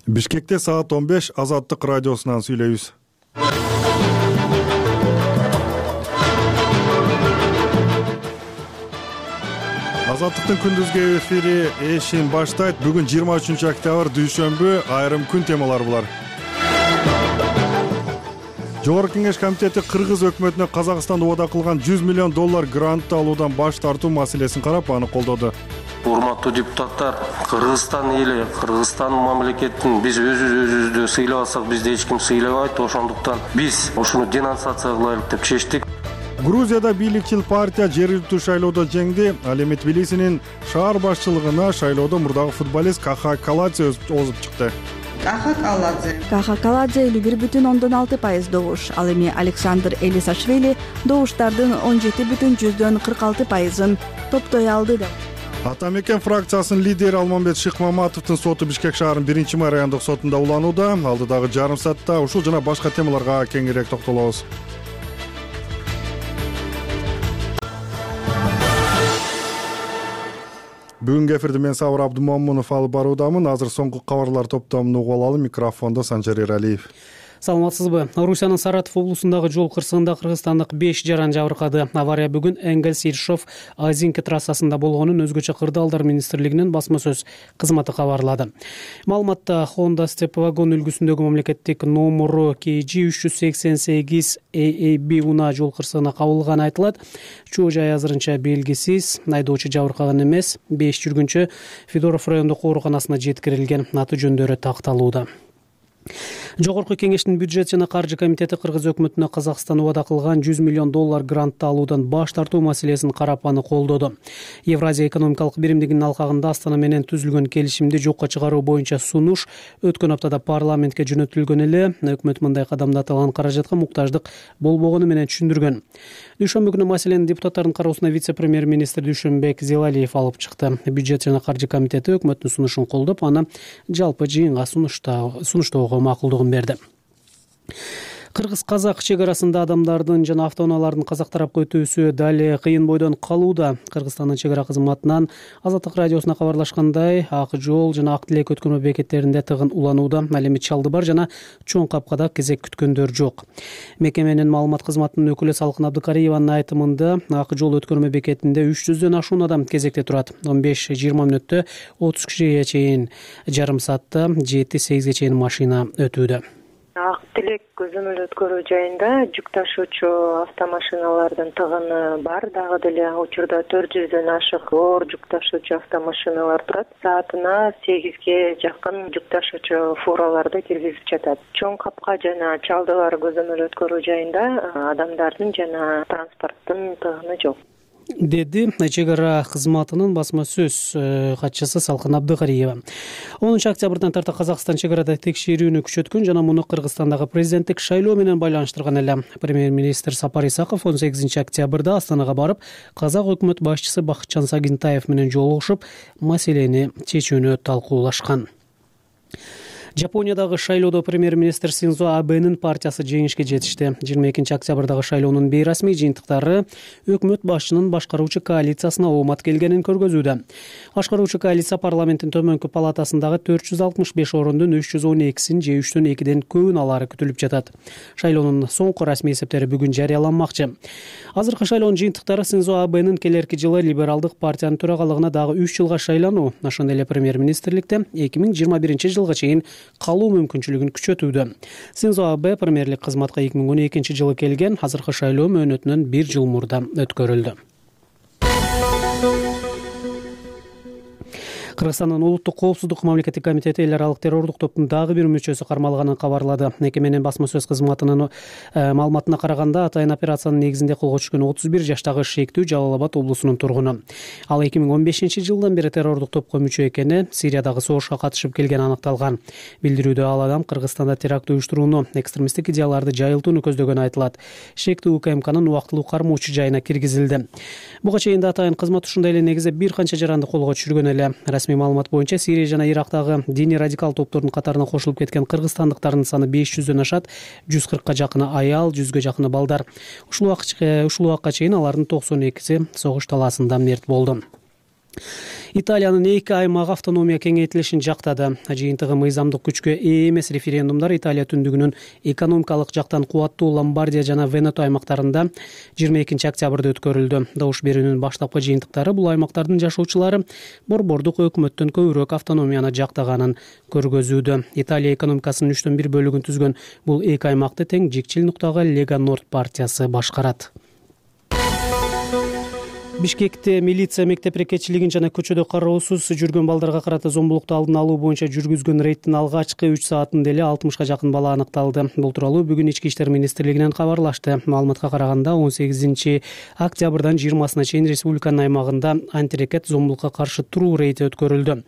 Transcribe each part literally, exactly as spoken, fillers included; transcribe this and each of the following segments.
Бишкекте саат он беш Азаттык радиосунан сүйлөйбүз. Азаттыктын күндүзгү эфири эшин баштайт. Бүгүн жыйырма үчүнчү октябрь дүйшөмбү, айрым күн темалары булар. Жогорку Кеңеш комитети Кыргыз өкмөтүнө Казакстанда убада кылган жүз миллион доллар грант алуудан баш тартуу маселесин карап, аны колдоду. Урматтуу депутаттар, Кыргызстан эли, Кыргызстан мамлекетин биз өзүбүздү сыйлабасак, бизди эч ким сыйлабайт. Ошондуктан биз ушуну денонсация кылайлык деп чечтик. Грузияда бийликчил партия жергиликтүү шайлоодо жеңди. Ал эми Тбилисинин шаар башчылыгына шайлоодо мурдагы футболист Каха Каладзе озуп чыкты. Каха Каладзе Каха Каладзе элүү бир бүтүн ондон алты пайыз добуш. Ал эми Александр Элисашвили добуштардын он жети бүтүн жүздөн кырк алты пайызын топтой алды деп. Ата мекен фракциясынын лидери Алмамбет Шыкмаматовдун соту Бишкек шаарынын биринчи май райондук сотунда уланууда. Алдыдагы жарым саатта ушул жана башка темаларга кеңирээк токтолобуз. Бүгүнкү эфирди мен Сабыр Абдумомунов алып баруудамын. Азыр соңку кабарлар топтомун угуп алалы. Микрофондо Санжар Эралиев. Саламатсызбы? Орусиянын Саратов облусундагы жол кырсыгында кыргызстандык беш жаран жабыркады. Авария бүгүн Энгельс-Иршов-Азинки трассасында болгонун өзгөчө кырдаалдар министрлигинин басма сөз кызматы кабарлады. Маалыматта Honda Step вагон үлгүсүндөгү мамлекеттик номуру К Ж үч жүз сексен сегиз А А Б унаа жол кырсыгына кабылганы айтылат. Чоо жай азырынча белгисиз. Айдоочу жабыркаган эмес. Беш жүргүнчү Федоров райондук ооруканасына жеткирилген. Аты жөндөрү такталууда. Жогорку Кеңештин бюджет жана каржы комитети Кыргыз өкмөтүнө Казакстан убада кылган жүз миллион доллар грантты алуудан баш тартуу маселесин карап, аны колдоду. Евразия экономикалык биримдигинин алкагында Астана менен түзүлгөн келишимди жокко чыгаруу боюнча сунуш өткөн аптада парламентке жөнөтүлгөн эле. Өкмөт мындай кадамды аталган каражатка муктаждык болбогону менен түшүндүргөн. Дүйшөмбү күнү маселени депутаттардын кароосуна вице-премьер-министр Дүйшөнбек Зелалиев алып чыкты. Бюджет жана каржы комитети өкмөттүн сунушун колдоп, аны жалпы жыйынга сунуштоого макулдугун берди. Кыргыз-казак чек арасында адамдардын жана автоунаалардын казак тарапка өтүүсү дали кыйын бойдон калууда. Кыргызстандын чек ара кызматынан Азаттык радиосуна кабарлашкандай, Ак жол жана Ак тилек өткөрмө бекеттеринде тыгын уланууда. Ал эми Чалдыбар жана Чоң Капкада кезек күткөндөр жок. Мекеменин маалымат кызматынын өкүлү Салкын Абдыкариеванын айтымында, Ак жол өткөрмө бекетинде үч жүздөн ашуун адам кезекте турат. он беш жыйырма мүнөттө отуз кишиге чейин, жарым саатта жети сегизге чейин машина өтүүдө. Ак тилек көзөмөл өткөрүү жайында жүк ташуучу автомашиналардын тыгыны бар. Дагы деле учурда төрт жүздөн ашык оор жүк ташуучу автомашиналар турат. Саатына сегизге жакын жүк ташуучу фураларды киргизип жатат. Чоң Капка жана Чалдыбар көзөмөл өткөрүү жайында адамдардын жана транспорттун тыгыны жок, деди чек ара кызматынын басма сөз катчысы Салкын Абдыкариева. онунчу октябрдан тарта Казакстан чек арада текшерүүнү күчөткөн жана муну Кыргызстандагы президенттик шайлоо менен байланыштырган эле. Премьер-министр Сапар Исаков он сегизинчи октябрда Астанага барып, казак өкмөт башчысы Бакытжан Сагинтаев менен жолугушуп, маселени чечүүнү талкуулашкан. Жапониядагы шайлоодо премьер-министр Синдзо Абэнин партиясы жеңишке жетишти. жыйырма экинчи октябрдагы шайлоонун бейрасмий жыйынтыктары өкмөт башчынын башкаруучу коалициясына оомат келгенин көргөзүүдө. Башкаруучу коалиция парламенттин төмөнкү палатасындагы төрт жүз алтымыш беш орундун үч жүз он экисин же үчтөн экиден көбүн алары күтүлүп жатат. Шайлоонун соңку расмий эсептери бүгүн жарыяланмакчы. Азыркы шайлоонун жыйынтыктары Синдзо Абэнин келерки жылы либералдык партиянын төрагалыгына дагы үч жылга шайлануу, ошондой эле премьер-министрликте эки миң жыйырма биринчи жылга чейин калуу мүмкүнчүлүгүн күчөтүүдө. Синдзо Абэ премьерлик кызматка эки миң он экинчи жылы келген, азыркы шайлоо мөөнөтүнөн бир жыл мурда өткөрүлдү. Кыргызстандын улуттук коопсуздук мамлекеттик комитети эл аралык террордук топтун дагы бир мүчөсү кармалганын кабарлады. Мекеменин басма сөз кызматынын маалыматына караганда, атайын операциянын негизинде колго түшкөн отуз бир жаштагы шектүү Жалал Абад облусунун тургуну. Ал эки миң он бешинчи жылдан бери террордук топко мүчө экени, Сириядагы согушка катышып келгени аныкталган. Билдирүүдө ал адам Кыргызстанда теракт уюштурууну, экстремисттик идеяларды жайылтууну көздөгөнү айтылат. Шектүү У К М Кнын убактылуу кармоочу жайына киргизилди. Буга чейин да атайын кызмат ушундай эле негизде бир канча жаранды колго түшүргөн эле. Расмий маалымат боюнча Сирия жана Ирактагы диний радикал топтордун катарына кошулуп кеткен кыргызстандыктардын саны беш жүздөн ашат, жүз кыркка жакыны аял, жүзгө жакыны балдар. Ушул убакытка чейин алардын токсон экиси согуш талаасында мерт болду. Италиянын эки аймагы автономия кеңейтилишин жактады. Жыйынтыгы мыйзамдык күчкө ээ эмес референдумдар Италия түндүгүнүн экономикалык жактан кубаттуу Ломбардия жана Венето аймактарында жыйырма экинчи октябрда өткөрүлдү. Добуш берүүнүн баштапкы жыйынтыктары бул аймактардын жашоочулары борбордук өкмөттөн көбүрөөк автономияны жактаганын көргөзүүдө. Италия экономикасынын үчтөн бир бөлүгүн түзгөн бул эки аймакты тең жикчил нуктагы Лега Норд партиясы башкарат. Бишкекте милиция мектеп рекетчилигин жана көчөдө кароосуз жүргөн балдарга карата зомбулукту алдын алуу боюнча жүргүзгөн рейдтин алгачкы үч саатында эле алтымышка жакын бала аныкталды. Бул тууралуу бүгүн Ички иштер министрлигинен кабарлашты. Маалыматка караганда он сегизинчи октябрдан жыйырмасына чейин республиканын аймагында антирекет зомбулукка каршы туруу рейди өткөрүлдү.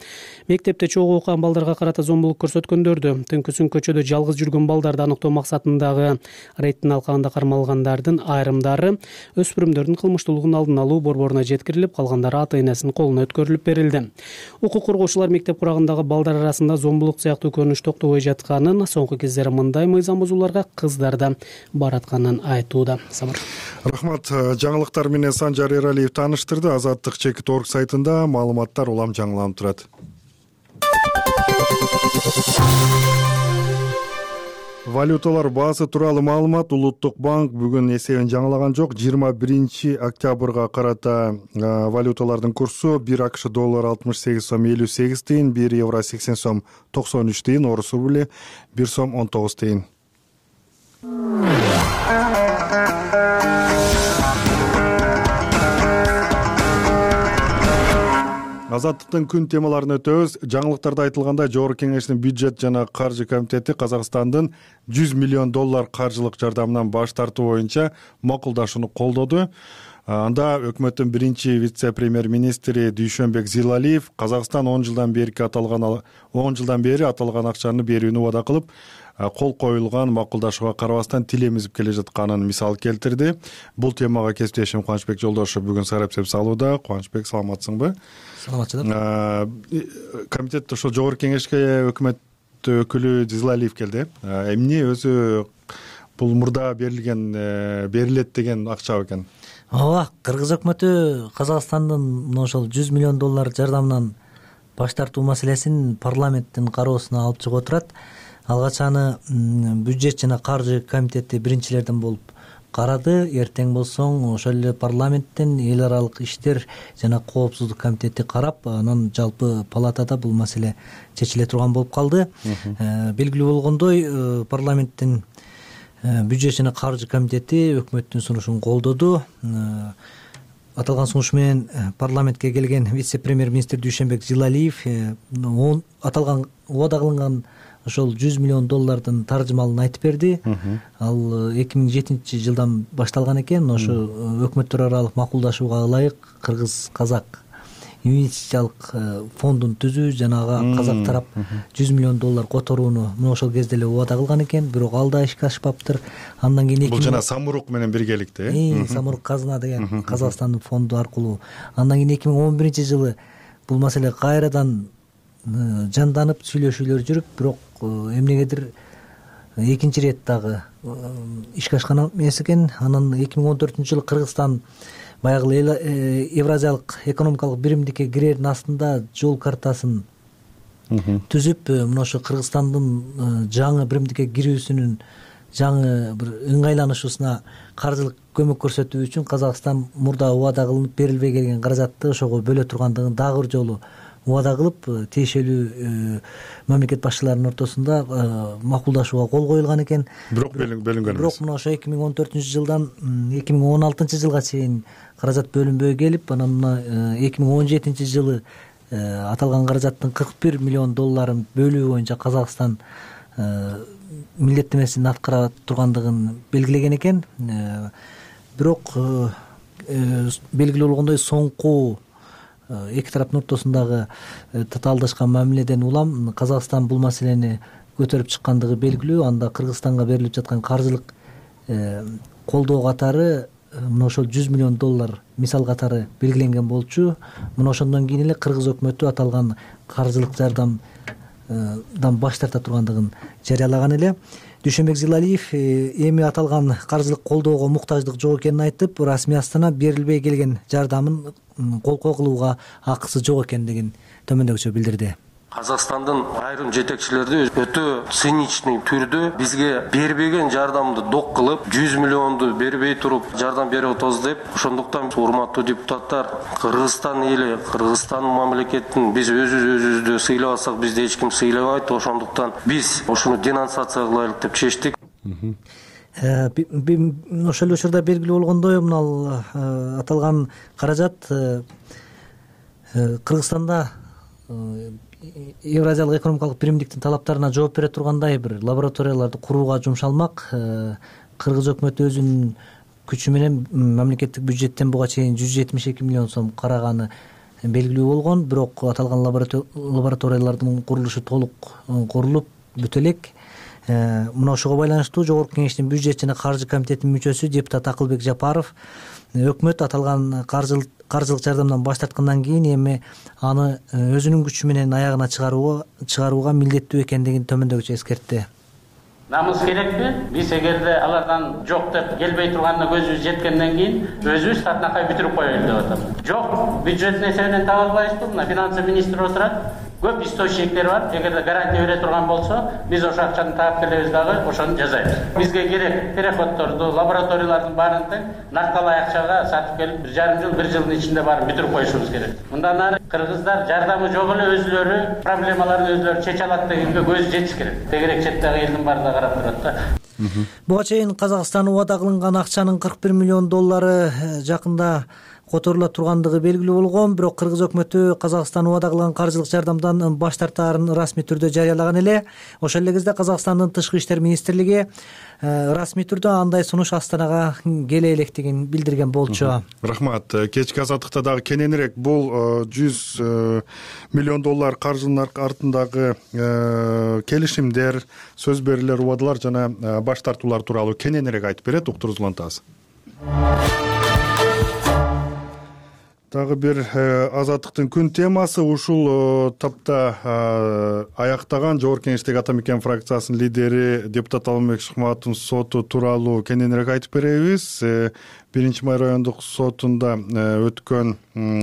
Мектепте чогуу окуган балдарга карата зомбулук көрсөткөндөрдү, түнкүсүн көчөдө жалгыз жүргөн балдарды аныктоо максатындагы рейдтин алкагында кармалгандардын айрымдары өспүрүмдөрдүн кылмыштуулугун алдын алуу борборуна жеткирилип, калгандары ата-энесинин колуна өткөрүлүп берилди. Укук коргоочулар мектеп курагындагы балдар арасында зомбулук сыяктуу көрүнүш токтобой жатканын, соңку кездери мындай мыйзам бузууларга кыздар да баратканын айтууда. Самар. Рахмат. Жаңылыктар менен Санжар Эралиев тааныштырды. Азаттык чекит орг сайтында маалыматтар улам жаңыланып турат. Валюталар баасы тууралуу маалымат. Улуттук банк бүгүн эсебин жаңылаган жок. жыйырма биринчи октябрга карата валюталардын курсу бир АКШ доллар алтымыш сегиз сом элүү сегиз тыйын, бир евро сексен сом токсон үч тыйын, орус рубли бир сом он тогуз тыйын. Азаттыктын күн темаларын өтөбүз. Жаңылыктарда айтылгандай, Жогорку Кеңештин бюджет жана каржы комитети Казакстандын жүз миллион доллар каржылык жардамынан баш тартуу боюнча макулдашууну колдоду. Анда өкмөттүн биринчи вице-премьер-министри Дүйшөнбек Зилалиев Казакстан он жылдан бери аталган он жылдан бери аталган акчаны берүүнү убада кылып, кол коюлган макулдашууга карабастан тил эмизип келе жатканын мисал келтирди. Бул темага кесиптешим Кубанычбек Жолдошев бүгүн сараптап салууда. Кубанычбек, саламатсыңбы? Саламатчылар. Комитетте ошо Жогорку Кеңешке өкмөт өкүлү Зилалиев келди. Эмне өзү бул мурда берилген берилет деген акча экен? Ооба, Кыргыз өкмөтү Казакстандын мына ошол жүз миллион доллар жардамынан баш тартуу маселесин парламенттин кароосуна алып чыгып отурат. Алгач аны бюджет жана каржы комитети биринчилерден болуп карады. Эртең болсоң ошол эле парламенттин эл аралык иштер жана коопсуздук комитети карап, анан жалпы палатада бул маселе чечиле турган болуп калды. Белгилүү болгондой, парламенттин бюджет жана каржы комитети өкмөттүн сунушун колдоду. Аталган сунуш менен парламентке келген вице-премьер-министр Дүйшөнбек Зилалиев аталган убада кылынган ошол жүз миллион доллардын таржымалын айтып берди. Ал эки миң жетинчи жылдан башталган экен. Ошо өкмөттөр аралык макулдашууга ылайык Кыргыз-Казак инвестициялык фондун түзүү жана ага Казак тарап жүз миллион доллар которууну мына ошол кезде эле убада кылган экен, бирок ал да ишке ашпаптыр. Андан кийин бул жана Самурук менен биргеликте, Самурук казына деген Казакстандын фонду аркылуу. Андан кийин эки миң он биринчи жылы бул маселе кайрадан жанданып сүйлөшүүлөр жүрүп, бирок эмнегедир экинчи рет дагы ишке ашкан эмес экен. Анан эки миң он төртүнчү жылы Кыргызстан баягы Евразиялык экономикалык биримдикке кирердин астында жол картасын түзүп, мына ошо Кыргызстандын жаңы биримдикке кирүүсүнүн жаңы бир ыңгайланышуусуна каржылык көмөк көрсөтүү үчүн Казакстан мурда убада кылынып берилбей келген каражатты ошого бөлө тургандыгын дагы бир жолу убада кылып, тиешелүү мамлекет башчыларынын ортосунда макулдашууга кол коюлган экен. Бирок бөлүнгөн эмес. Бирок мына ошо эки миң он төртүнчү жылдан эки миң он алтынчы жылга чейин каражат бөлүнбөй келип, анан мына эки миң он жетинчи жылы аталган каражаттын кырк бир миллион долларын бөлүү боюнча Казакстан милдеттемесин аткара тургандыгын белгилеген экен. Бирок белгилүү болгондой, соңку эки тараптын ортосундагы татаалдашкан мамиледен улам Казакстан бул маселени көтөрүп чыккандыгы белгилүү. Анда Кыргызстанга берилип жаткан каржылык колдоо катары мына ошол жүз миллион доллар мисал катары белгиленген болчу. Мына ошондон кийин эле Кыргыз өкмөтү аталган каржылык жардам баш тарта тургандыгын жарыялаган эле. Дүйшөнбек Зилалиев эми аталган каржылык колдоого муктаждык жок экенин айтып, расмий Астана берилбей келген жардамын колкоо кылууга акысы жок экендигин төмөндөгүчө билдирди. Казакстандын айрым жетекчилери өтө циничный түрдө бизге бербеген жардамды док кылып, жүз миллионду бербей туруп жардам берип атабыз деп, ошондуктан урматтуу депутаттар, Кыргызстан эли, Кыргызстан мамлекетин биз өзүбүз өзүбүздү сыйлабасак, бизди эч ким сыйлабайт. Ошондуктан биз ушуну денонсация кылайлык деп чечтик. Ошол учурда белгилүү болгондой, мына аталган каражат Кыргызстанда Евразиялык экономикалык биримдиктин талаптарына жооп бере тургандай бир лабораторияларды курууга жумшалмак. Кыргыз өкмөтү өзүнүн күчү менен мамлекеттик бюджеттен буга чейин жүз жетимиш эки миллион сом караганы белгилүү болгон. Бирок аталган лабораториялардын курулушу толук курулуп бүтө элек. Мына ошого байланыштуу Жогорку Кеңештин бюджет жана каржы комитетинин мүчөсү депутат Акылбек Жапаров өкмөт аталган каржылык каржылык жардамдан баш тарткандан кийин эми аны өзүнүн күчү менен аягына чыгарууга чыгарууга милдеттүү экендигин төмөндөгүчө эскертти. Намыс керекпи? Биз эгерде алардан жок деп келбей турганына көзүбүз жеткенден кийин өзүбүз татынакай бүтүрүп коелу деп атабыз. Жок, бюджеттин эсебинен таба албайбызбы? Мына финансы министри отурат. Көп источниктер бар. Эгерде гарантия бере турган болсо, биз ошо акчаны таап келебиз дагы, ошону жасайбыз. Бизге керек переходдорду, лабораториялардын баарын тең накталай акчага сатып келип, бир жарым жыл, бир жылдын ичинде барып бүтүрүп коюшубуз керек. Мындан ары кыргыздар жардамы жок эле өзүлөрү проблемаларын өзүлөрү чече алат дегенге көзү жетиш керек. Тегерек четтеги элдин баары да карап турат да. Буга чейин Казакстан убада кылынган акчанын кырк бир миллион доллары жакында которула тургандыгы белгилүү болгон. Бирок Кыргыз өкмөтү Казакстан убада кылган каржылык жардамдан баш тартаарын расмий түрдө жарыялаган эле. Ошол эле кезде Казакстандын Тышкы иштер министрлиги расмий түрдө андай сунуш Астанага келе электигин билдирген болчу. Рахмат. Кечки азаттыкта дагы кененирээк бул жүз миллион доллар каржынын артындагы келишимдер, сөз берүүлөр, убадалар жана баш тартуулар тууралуу кененирээк айтып берет. Уктуруз улантабыз. Дагы бир азаттыктын күн темасы ушул тапта аяктаган Жогорку Кеңештеги Ата Мекен фракциясынын лидери депутат Алмамбет Шыкмаматовдун соту тууралуу кененирээк айтып беребиз. Биринчи май райондук сотунда өткөн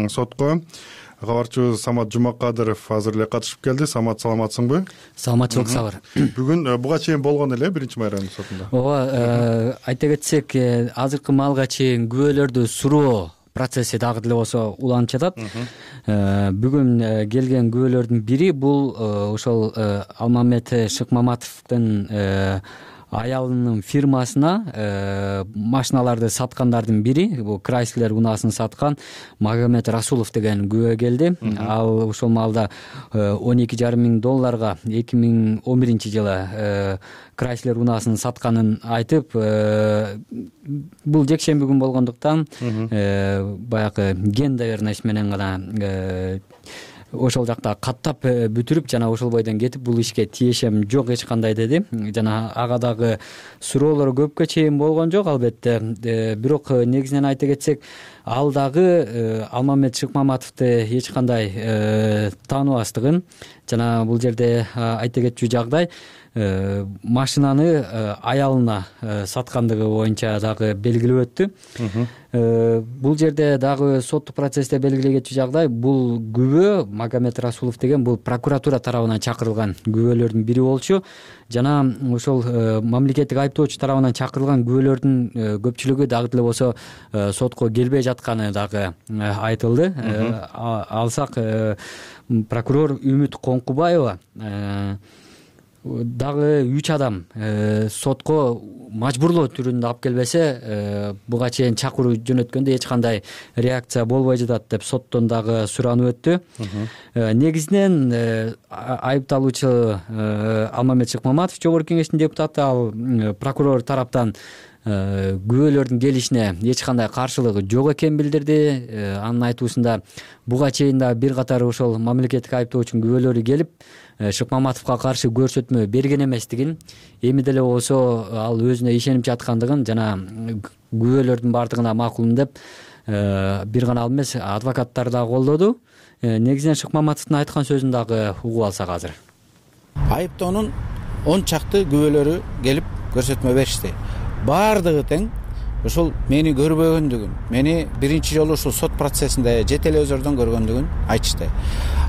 сотко кабарчыбыз Самат Жумакадыров азыр эле катышып келди. Самат, саламатсыңбы? Саламатчылык Сабыр. Бүгүн буга чейин болгон эле биринчи май райондук сотунда. Ооба, айта кетсек, азыркы маалга чейин күбөлөрдү суроо процесси дагы деле болсо уланып жатат. Бүгүн келген күбөлөрдүн бири бул ошол Алмамбет Шыкмаматовдун аялынын фирмасына машиналарды саткандардын бири, бул Крайслер унаасын саткан Магомед Расулов деген күбө келди. Ал ошол маалда он эки жарым миң долларга эки миң он биринчи жылы Крайслер унаасын сатканын айтып, бул жекшемби күн болгондуктан баягы ген доверенность менен гана ошол жакта каттап бүтүрүп жана ошол бойдон кетип, бул ишке тиешем жок эч кандай деди. Жана ага дагы суроолор көпкө чейин болгон жок албетте. Бирок негизинен айта кетсек, ал дагы Алмамбет Шыкмаматовду эч кандай тааныбастыгын жана бул жерде айта кетчү жагдай машинаны аялына саткандыгы боюнча дагы белгилеп өттү. Бул жерде дагы соттук процессте белгилей кетчү жагдай, бул күбө Магомед Расулов деген бул прокуратура тарабынан чакырылган күбөлөрдүн бири болчу. Жана ошол мамлекеттик айыптоочу тарабынан чакырылган күбөлөрдүн көпчүлүгү дагы деле болсо сотко келбей жатканы дагы айтылды. Алсак прокурор Үмүт Коңкубаева дагы үч адам сотко мажбурлоо түрүндө алып келбесе, буга чейин чакыруу жөнөткөндө эч кандай реакция болбой жатат деп соттон дагы суранып өттү. Негизинен айыпталуучу Алмамбет Шыкмаматов, Жогорку Кеңештин депутаты, ал прокурор тараптан күбөлөрдүн келишине эч кандай каршылыгы жок экенин билдирди. Анын айтуусунда буга чейин да бир катар ошол мамлекеттик айыптоочунун күбөлөрү келип Шыкмаматовго каршы көрсөтмө берген эместигин, эми деле болсо ал өзүнө ишенип жаткандыгын жана күбөлөрдүн баардыгына макулмун деп бир гана ал эмес, адвокаттар да колдоду. Негизинен Шыкмаматовдун айткан сөзүн дагы угуп алсак азыр. Айыптоонун он чакты күбөлөрү келип көрсөтмө беришти. Баардыгы тең ушул мени көрбөгөндүгүн, мени биринчи жолу ушул сот процессинде же телевизордон көргөндүгүн айтышты.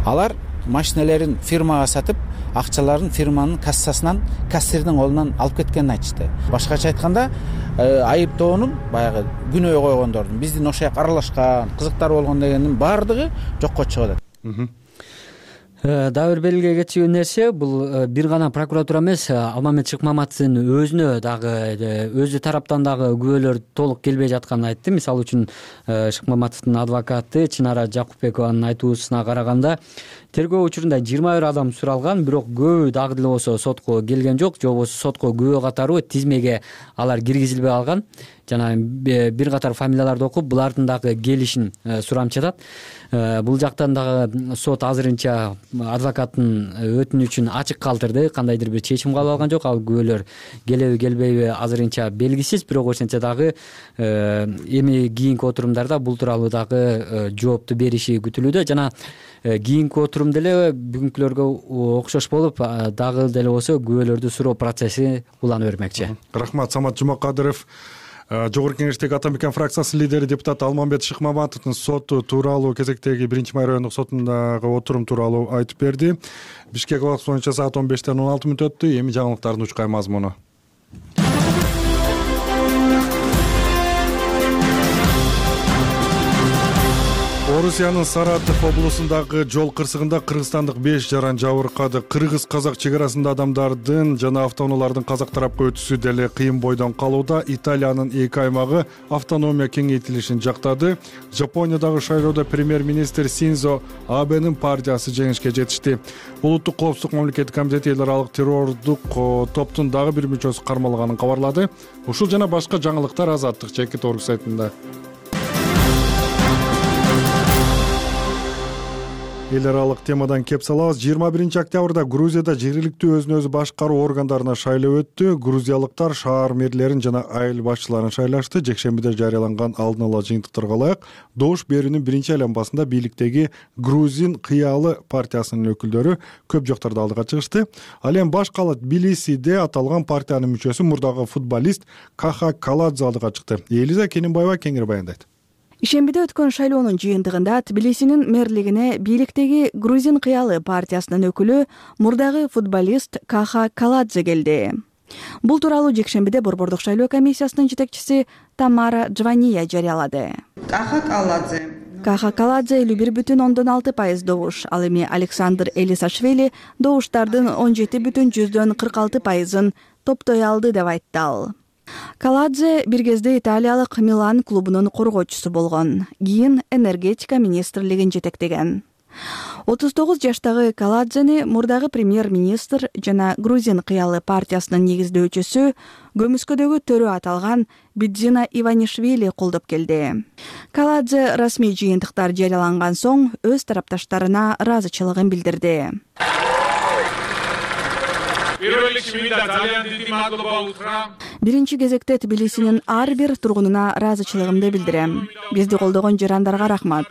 Алар машинелерин фирмага сатып, акчаларын фирманын кассасынан, кассирдин колунан алып кеткенин айтышты. Башкача айтканда, айыптоонун баягы күнөө койгондордун, биздин ошол жака аралашкан, кызыктар болгон дегендин баардыгы жокко чыгып атат. Дагы бир белгилей кетчү нерсе, бул бир гана прокуратура эмес, Алмамет Шыкмаматовдун өзүнө дагы өзү тараптан дагы күбөлөр толук келбей жатканын айтты. Мисалы үчүн Шыкмаматовдун адвокаты Чынара Жакупбекованын айтуусуна караганда, тергөө учурунда жыйырма бир адам суралган, бирок көбү дагы деле болсо сотко келген жок, же болбосо сотко күбө катары тизмеге алар киргизилбей алган. Жана бир катар фамилияларды окуп, булардын дагы келишин сурамчатат. Бул жактан дагы сот азырынча адвокаттын өтүнүчүн ачык калтырды, кандайдыр бир чечим кабыл алган жок. Ал күбөлөр келеби келбейби азырынча белгисиз, бирок ошентсе дагы эми кийинки отурумдарда бул тууралуу дагы жоопту бериши күтүлүүдө. Жана кийинки отурум деле бүгүнкүлөргө окшош болуп, дагы деле болсо күбөлөрдү суроо процесси улана бермекчи. Рахмат. Самат Жумакадыров, Жогорку Кеңештеги Ата Мекен фракциясынын лидери, депутат Алмамбет Шыкмаматовдун соту тууралуу кезектеги биринчи май райондук сотундагы отурум тууралуу айтып берди. Бишкек убакыты боюнча саат он бештен он алты мүнөт өттү. Эми жаңылыктардын учкай мазмуну. Орусиянын Саратов облусундагы жол кырсыгында кыргызстандык беш жаран жабыркады. Кыргыз-казак чегарасында адамдардын жана автоунаалардын казак тарапка өтүшү деле кыйын бойдон калууда. Италиянын эки аймагы автономия кеңейтилишин жактады. Жапониядагы шайлоодо премьер-министр Синзо Абенин партиясы жеңишке жетишти. Улуттук коопсуздук мамлекеттик комитети эл аралык террордук топтун дагы бир мүчөсү кармалганын кабарлады. Ушул жана башка жаңылыктар Азаттык чекит орг сайтында. Эл аралык темадан кеп салабыз. жыйырма биринчи октябрда Грузияда жергиликтүү өзүн өзү башкаруу органдарына шайлоо өттү. Грузиялыктар шаар мэрлерин жана айыл башчыларын шайлашты. Жекшембиде жарыяланган алдын ала жыйынтыктарга ылайык добуш берүүнүн биринчи айланбасында бийликтеги Грузин кыялы партиясынын өкүлдөрү көп жоктарда алдыга чыгышты. Ал эми баш кала Тбилисиде аталган партиянын мүчөсү мурдагы футболист Каха Каладзе алдыга чыкты. Элиза Кененбаева кеңири баяндайт. Ишембиде өткөн шайлоонун жыйынтыгында Тбилисинин мэрлигине бийликтеги Грузин кыялы партиясынын өкүлү мурдагы футболист Каха Каладзе келди. Бул тууралуу жекшембиде Борбордук шайлоо комиссиясынын жетекчиси Тамара Джвания жарыялады. Каха Каладзе Каха Каладзе элүү бир бүтүн ондон алты пайыз добуш, ал эми Александр Элисашвили добуштардын он жети бүтүн жүздөн кырк алты пайызын топтой алды деп айтты ал. Каладзе бир кезде италиялык Милан клубунун коргоочусу болгон, кийин энергетика министрлигин жетектеген. отуз тогуз жаштагы Каладзени мурдагы премьер-министр жана Грузин кыялы партиясынын негиздөөчүсү, көмүскөдөгү төрө аталган Бидзина Иванишвили колдоп келди. Каладзе расмий жыйынтыктар жарыяланган соң өз тарапташтарына ыраазычылыгын билдирди. Биринчи кезекте Тбилисинин ар бир тургунуна ыраазычылыгымды билдирем. Бизди колдогон жарандарга рахмат.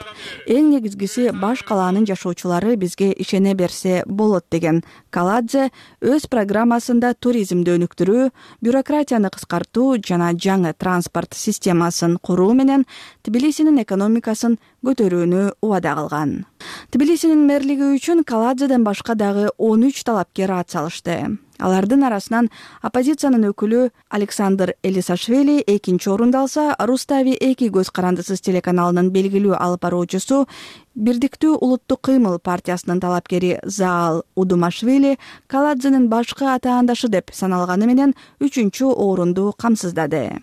Эң негизгиси баш калаанын жашоочулары бизге ишене берсе болот деген Каладзе өз программасында туризмди өнүктүрүү, бюрократияны кыскартуу жана жаңы транспорт системасын куруу менен Тбилисинин экономикасын көтөрүүнү убада кылган. Тбилисинин мэрлиги үчүн Каладзеден башка дагы он үч талапкер ат салышты. Алардын арасынан оппозициянын өкүлү Александр Элисашвили экинчи орунду алса, Рустави эки көз карандысыз телеканалынын белгилүү алып баруучусу, Бирдиктүү улуттук кыймыл партиясынын талапкери Заал Удумашвили Каладзенин башкы атаандашы деп саналганы менен үчүнчү орунду камсыздады.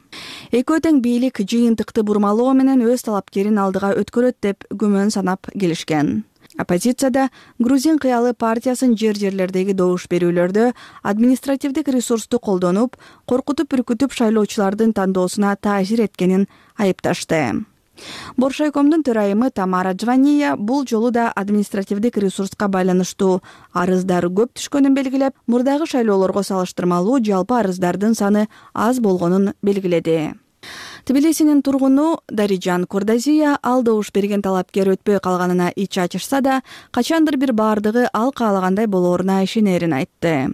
Экөө тең бийлик жыйынтыкты бурмалоо менен өз талапкерин алдыга өткөрөт деп күмөн санап келишкен. Оппозицияда Грузин кыялы партиясын жер-жерлердеги добуш берүүлөрдө административдик ресурсту колдонуп, коркутуп-үркүтүп шайлоочулардын тандоосуна таасир эткенин айыпташты. Боршайкомдун төрайымы Тамара Джвания бул жолу да административдик ресурска байланыштуу арыздар көп түшкөнүн белгилеп, мурдагы шайлоолорго салыштырмалуу жалпы арыздардын саны аз болгонун белгиледи. Тбилисинин тургуну Дарижан Курдазия ал добуш берген талапкер өтпөй калганына ич ачышса да, качандыр бир баардыгы ал каалагандай болооруна ишенерин айтты.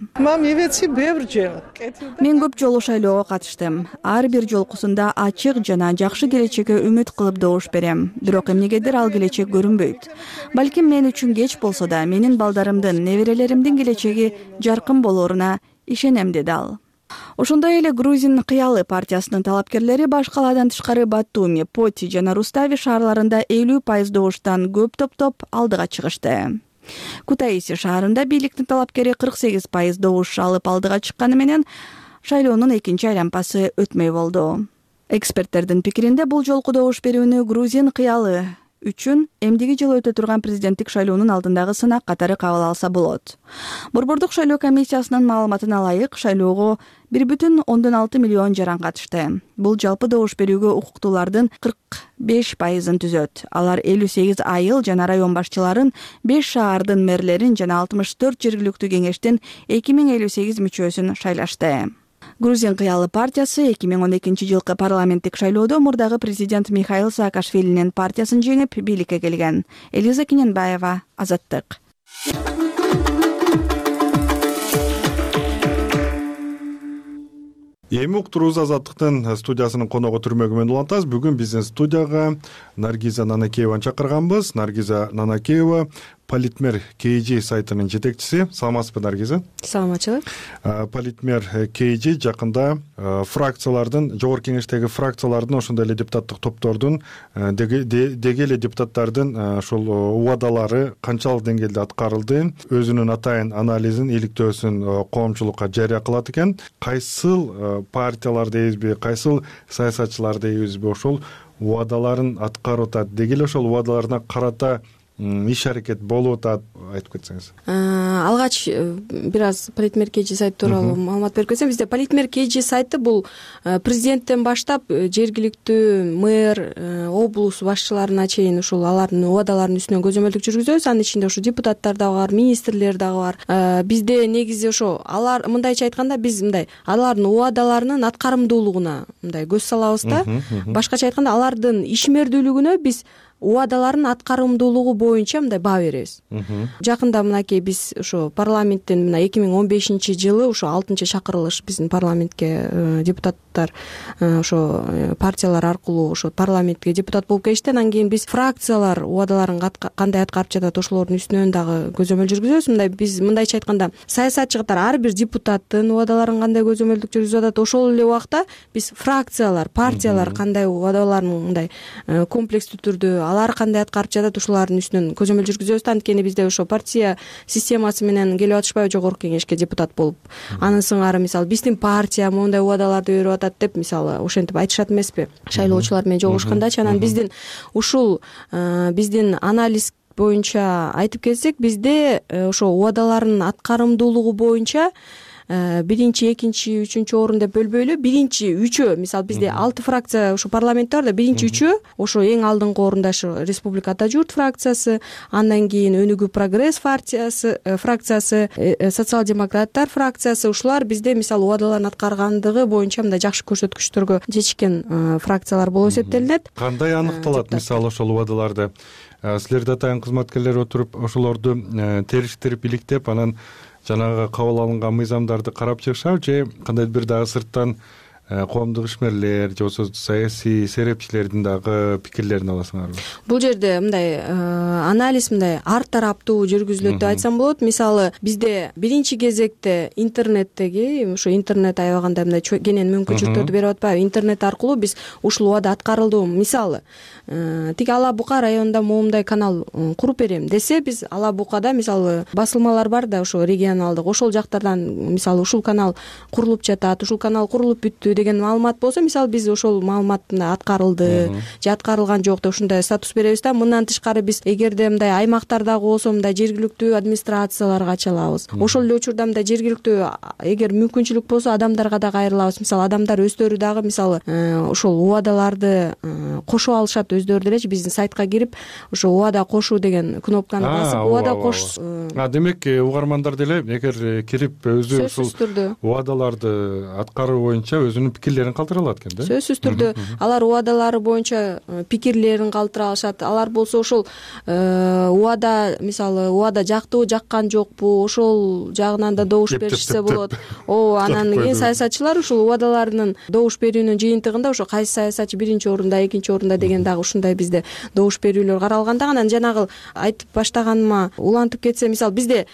Мен көп жолу шайлоого катыштым. Ар бир жолкусунда ачык жана жакшы келечекке үмүт кылып добуш берем. Бирок эмнегедир ал келечек көрүнбөйт. Балким мен үчүн кеч болсо да, менин балдарымдын, неберелеримдин келечеги жаркын болооруна ишенем, деди ал. Ошондой эле Грузин кыялы партиясынын талапкерлери баш калаадан тышкары Батуми, Поти жана Рустави шаарларында элүү пайыз добуштан көп топтоп алдыга чыгышты. Кутаиси шаарында бийликтин талапкери кырк сегиз пайыз добуш алып алдыга чыкканы менен шайлоонун экинчи айлампасы өтмөй болду. Эксперттердин пикиринде бул жолку добуш берүүнү Грузин кыялы үчүн эмдиги жылы өтө турган президенттик шайлоонун алдындагы сынак катары кабыл алса болот. Борбордук шайлоо комиссиясынын маалыматына ылайык, шайлоого бир бүтүн ондон алты миллион жаран катышты. Бул жалпы добуш берүүгө укуктуулардын кырк беш пайызын түзөт. Алар элүү сегиз айыл жана район башчыларын, беш шаардын мэрлерин жана алтымыш төрт жергиликтүү кеңештин эки миң элүү сегиз мүчөсүн шайлашты. Грузин кыялы партиясы эки миң он экинчи жылкы парламенттик шайлоодо мурдагы президент Михаил Саакашвилинин партиясын жеңип бийликке келген. Элиза Кененбаева, Азаттык. Эми уктуруубуз Азаттыктын студиясынын коногу түрмөгү менен улантабыз. Бүгүн биздин студияга Наргиза Нанакееваны чакырганбыз. Наргиза Нанакеева Политмер кей джи сайтынын жетекчиси. Саламатсызбы, Наргиза? Саламатчылык. Политмер кей джи жакында фракциялардын, жогорку кеңештеги фракциялардын, ошондой эле депутаттык топтордун, деги эле депутаттардын ошол убадалары канчалык деңгээлде аткарылды, өзүнүн атайын анализин, иликтөөсүн коомчулукка жарыя кылат экен. Кайсыл партиялар дейбизби, кайсыл саясатчылар дейбизби ошол убадаларын аткарып атат, деги эле ошол убадаларына карата иш аракет болуп атат, айтып кетсеңиз. Алгач бир аз Политмер кей джи сайты тууралуу маалымат берип кетсем, бизде Политмер кей джи сайты бул президенттен баштап жергиликтүү мэр, облус башчыларына чейин ушул алардын убадаларынын үстүнөн көзөмөлдүк жүргүзөбүз. Анын ичинде ушу депутаттар дагы бар, министрлер дагы бар. Бизде негизи ошо алар, мындайча айтканда, биз мындай алардын убадаларынын аткарымдуулугуна мындай көз салабыз да. Башкача айтканда, алардын ишмердүүлүгүнө биз убадалардын аткарымдуулугу боюнча мындай баа беребиз. Жакында мынакей биз ошо парламенттин мына эки миң он бешинчи жылы ошо алтынчы чакырылыш биздин парламентке депутаттар ошо партиялар аркылуу ошо парламентке депутат болуп келишти. Анан кийин биз фракциялар убадаларын кандай аткарып жатат, ошолордун үстүнөн дагы көзөмөл жүргүзөбүз. Мындай биз мындайча айтканда, саясатчы катары ар бир депутаттын убадаларын кандай көзөмөлдүк жүргүзүп атат, ошол эле убакта биз фракциялар, партиялар кандай убадаларын мындай комплекстүү түрдө алар кандай аткарып жатат, ушулардын үстүнөн көзөмөл жүргүзөбүз. Анткени бизде ошо партия системасы менен келип атышпайбы жогорку кеңешке депутат болуп. Анын сыңары мисалы биздин партия моундай убадаларды берип атат деп мисалы ошентип айтышат эмеспи шайлоочулар менен жолугушкандачы. Анан биздин ушул биздин анализ боюнча айтып кетсек, бизде ошо убадалардын аткарымдуулугу боюнча биринчи, экинчи, үчүнчү орун деп бөлбөйлү. Биринчи үчөө, мисалы бизде алты фракция ошо парламентте бар да, биринчи үчөө ошо эң алдыңкы орунда ошо Республика Ата журт фракциясы, андан кийин Өнүгүү прогресс партиясы, фракциясы, социал-демократтар фракциясы, ушулар бизде мисалы убадаларын аткаргандыгы боюнча мындай жакшы көрсөткүчтөргө жетишкен фракциялар болуп эсептелинет. Кандай аныкталат мисалы ошол убадаларды? Силерде атайын кызматкерлер отуруп ошолорду териштирип, иликтеп, анан жанагы кабыл алынган мыйзамдарды карап чыгышабы, же кандайдыр бир дагы сырттан коомдук ишмерлер же болбосо саясий серепчилердин дагы пикирлерин аласыңарбы? Бул жерде мындай анализ мындай ар тараптуу жүргүзүлөт деп айтсам болот. Мисалы бизде биринчи кезекте интернеттеги ошо интернет аябаганда мындай кенен мүмкүнчүлүктөрдү берип атпайбы, интернет аркылуу биз ушул убада аткарылды. Мисалы тиги Ала Бука районунда моундай канал куруп берем десе, биз Ала Букада мисалы басылмалар бар да, ошо регионалдык, ошол жактардан мисалы ушул канал курулуп жатат, ушул канал курулуп бүттү деген маалымат болсо, мисалы биз ошол маалыматты аткарылды же аткарылган жок деп ушундай статус беребиз да. Мындан тышкары биз эгерде мындай аймактардагы болсо мындай жергиликтүү администрацияларга чалабыз. Ошол эле учурда мындай жергиликтүү эгер мүмкүнчүлүк болсо адамдарга да кайрылабыз. Мисалы адамдар өздөрү дагы мисалы ошол убадаларды кошо алышат, өздөрү делечи биздин сайтка кирип ошо убада кошуу деген кнопканы басып убада кош. Демек угармандар деле эгер кирип өзү ушул убадаларды аткаруу боюнча өзүнүн алардын пикирлерин калтыра алат экен да. Сөзсүз түрдө алар убадалары боюнча пикирлерин калтыра алышат. Алар болсо ошол убада, мисалы убада жактыбы жаккан жокпу, ошол жагынан да добуш беришсе болот. Ооба, анан кийин саясатчылар ушул убадаларынын добуш берүүнүн жыйынтыгында ошо кайсы саясатчы биринчи орунда, экинчи орунда деген дагы ушундай бизде добуш берүүлөр каралган да. Анан жанагы айтып баштаганыма улантып кетсе, мисалы бизде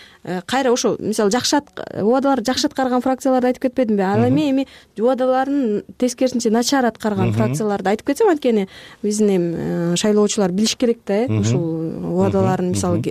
кайра ошо мисалы жакшы убадаларды жакшы аткарган фракцияларды айтып кетпедимби? Ал эми эми убадаларын тескерисинче начар аткарган фракцияларды айтып кетсем, анткени биздин эми шайлоочулар билиш керек да, э ушул убадаларын мисалы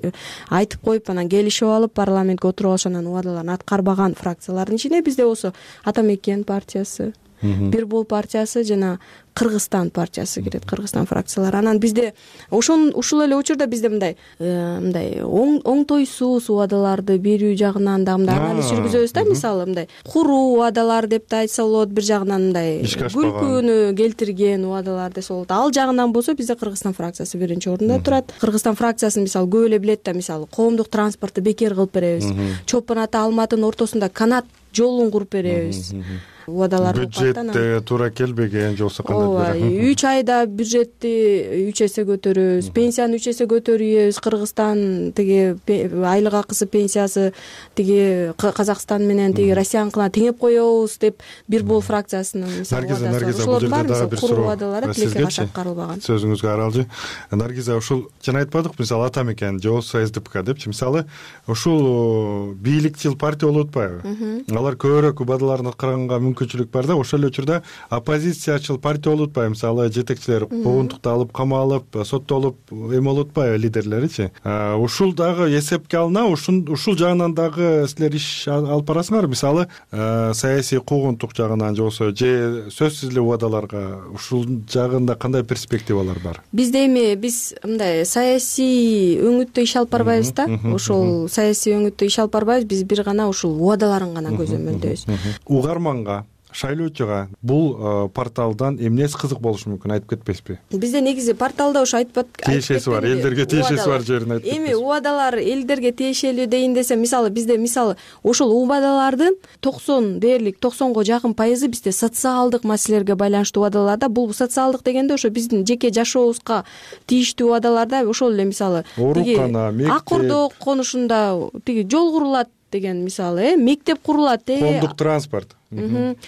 айтып коюп анан келишип алып парламентке отуруп алыш, анан убадаларын аткарбаган фракциялардын ичине бизде болсо Ата Мекен партиясы, Бир Бол партиясы жана Кыргызстан партиясы кирет, Кыргызстан фракциялары. Анан бизде ошон ушул эле учурда бизде мындай мындай оңтойсуз убадаларды берүү жагынан да мындай анализ жүргүзөбүз да. Мисалы мындай куруу убадалар деп да айтса болот, бир жагынан мындай күлкүнү келтирген убадалар десе болот. Ал жагынан болсо бизде Кыргызстан фракциясы биринчи орунда турат. Кыргызстан фракциясын мисалы көп эле билет да, мисалы коомдук транспортты бекер кылып беребиз. Чолпон Ата Алматынын ортосунда канат жолун куруп беребиз. Убадалар бюджетте туура келбеген же болбосо кандай ооба, үч айда бюджетти үч эсе көтөрөбүз, пенсияны үч эсе көтөрүбүз. Кыргызстан тиги айлык акысы пенсиясы тиги Казакстан менен тиги Россияныкына теңеп коебуз деп Бир Бол фракциясынын мисалы Наргиза, бул жерде дагы бир суроо убадалары тилекке каршы аткарылбаган. Сөзүңүзгө аралжы. Наргиза, ушул жана айтпадык мисалы Ата Мекен же болбосо СДПК депчи, мисалы ушул бийликчил партия болуп атпайбы? Алар көбүрөөк убадаларын аткарганга мүмкүнчүлүк бар да, ошол эле учурда оппозициячыл партия болуп атпайбы? Мисалы жетекчилер куугунтукталып, камалып, соттолуп эме болуп атпайбы лидерлеричи? Ушул дагы эсепке алына, ушул жагынан дагы силер иш алып барасыңарбы? Мисалы саясий куугунтук жагынан же болбосо же сөзсүз эле убадаларга ушул жагында кандай перспективалар бар? Бизде эми биз мындай саясий өңүттө иш алып барбайбыз да. Ошол саясий өңүттө иш алып барбайбыз, биз бир гана ушул убадаларын гана көзөмөлдөйбүз. Угарманга, шайлоочуга бул порталдан эмнеси кызык болушу мүмкүн, айтып кетпейсизби? Бизде негизи порталда ошо айтып тиешеси бар, элдерге тиешеси бар жерин айтып кетпейсизби? Эми убадалар элдерге тиешелүү дейин десем, мисалы бизде мисалы ошол убадалардын токсон дээрлик токсонго жакын пайызы бизде социалдык маселелерге байланыштуу убадаларда. Бул социалдык дегенде ошо биздин жеке жашообузга тийиштүү убадаларда ошол эле мисалы оорукана, мектеп, Ак Ордо конушунда тиги жол курулат деген мисалы, э мектеп курулат, э коомдук транспорт,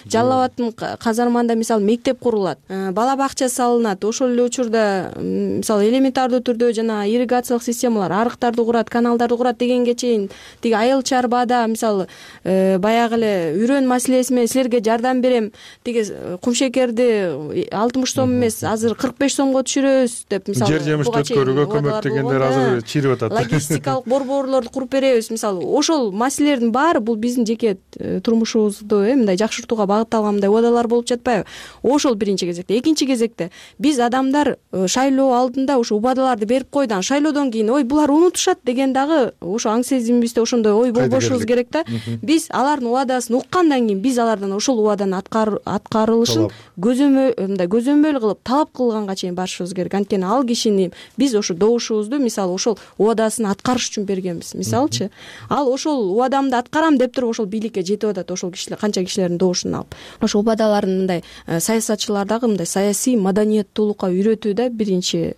Жалал Абадтын казарманда мисалы мектеп курулат, бала бакча салынат. Ошол эле учурда мисалы элементардуу түрдө жана ирригациялык системалар, арыктарды курат, каналдарды курат дегенге чейин тиги айыл чарбада мисалы баягы эле үрөн маселеси менен силерге жардам берем, тиги кумшекерди алтымыш сом эмес азыр кырк беш сомго түшүрөбүз деп мисалы жер жемишти өткөрүүгө көмөктөгөндөр азыр чирип атат. Логистикалык борборлорду куруп беребиз. Мисалы ошол маселелердин баары бул биздин жеке турмушубузду э мындай жакшыртууга багытталган мындай убадалар болуп жатпайбы? Ошол биринчи кезекте. Экинчи кезекте биз адамдар шайлоо алдында ушу убадаларды берип койду, анан шайлоодон кийин ой булар унутушат деген дагы ошо аң сезимибизде ошондой ой болбошубуз керек да. Биз алардын убадасын уккандан кийин биз алардан ошол убаданын аткарылышын көзөмөл мындай көзөмөл кылып талап кылганга чейин барышыбыз керек. Анткени ал кишини биз ошо добушубузду мисалы ошол убадасын аткарыш үчүн бергенбиз. Мисалчы ал ошол убадамды аткарам деп туруп ошол бийликке жетип атат, ошол кишилер канча кишилердин добушун алып. Ошо убадаларын мындай саясатчылар дагы мындай саясий маданияттуулукка үйрөтүү да биринчи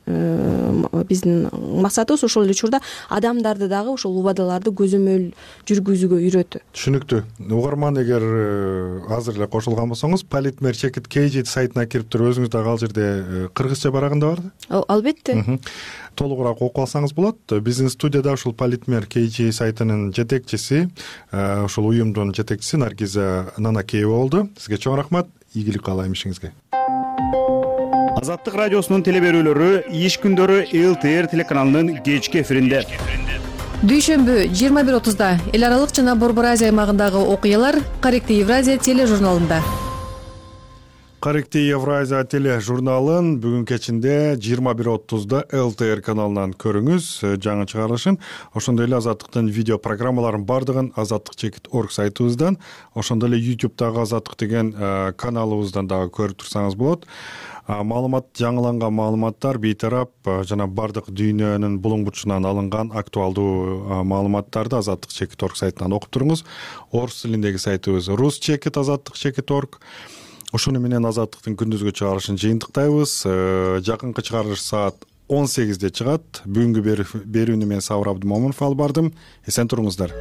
биздин максатыбыз. Ошол эле учурда адамдарды дагы ошол убадаларды көзөмөл жүргүзүүгө үйрөтүү. Түшүнүктүү. Угарман, эгер азыр эле кошулган болсоңуз, Политмер чекит кей жи сайтына кирип туруп өзүңүз дагы ал жерде кыргызча барагында бар. Албетте. Толугураак окуп алсаңыз болот. Биздин студияда ушул Политмер кей жи сайтынын жетекчиси, ушул уюмдун жетекчиси Наргиза Нанакеева болду. Сизге чоң рахмат. Ийгилик каалайм ишиңизге. Азаттык радиосунун теле берүүлөрү иш күндөрү эл ти эр телеканалынын кечки эфиринде. Дүйшөмбү жыйырма бир отузда эл аралык жана Борбор Азия аймагындагы окуялар Каректи Евразия тележурналында. Каректи Евразия тележурналын бүгүн кечинде жыйырма бир отузда эл ти эр каналынан көрүңүз жаңы чыгарылышын. Ошондой эле Азаттыктын видео программаларын бардыгын азаттык чекит точка орг сайтыбыздан, ошондой эле ютубтагы Азаттык деген каналыбыздан дагы көрүп турсаңыз болот. Маалымат, жаңыланган маалыматтар бейтарап жана бардык дүйнөнүн булуң бутушунан алынган актуалдуу маалыматтарды азаттык чекит точка орг сайтынан окуп туруңуз. Орус тилиндеги сайтыбыз рус чекит азаттык чекит точка орг. ушуну менен Азаттыктын күндүзгү чыгарылышын жыйынтыктайбыз. Жакынкы чыгарылыш саат он сегизде чыгат. Бүгүнкү берүүнү мен Сабыр Абдымомунов алып бардым. Эсен туруңуздар.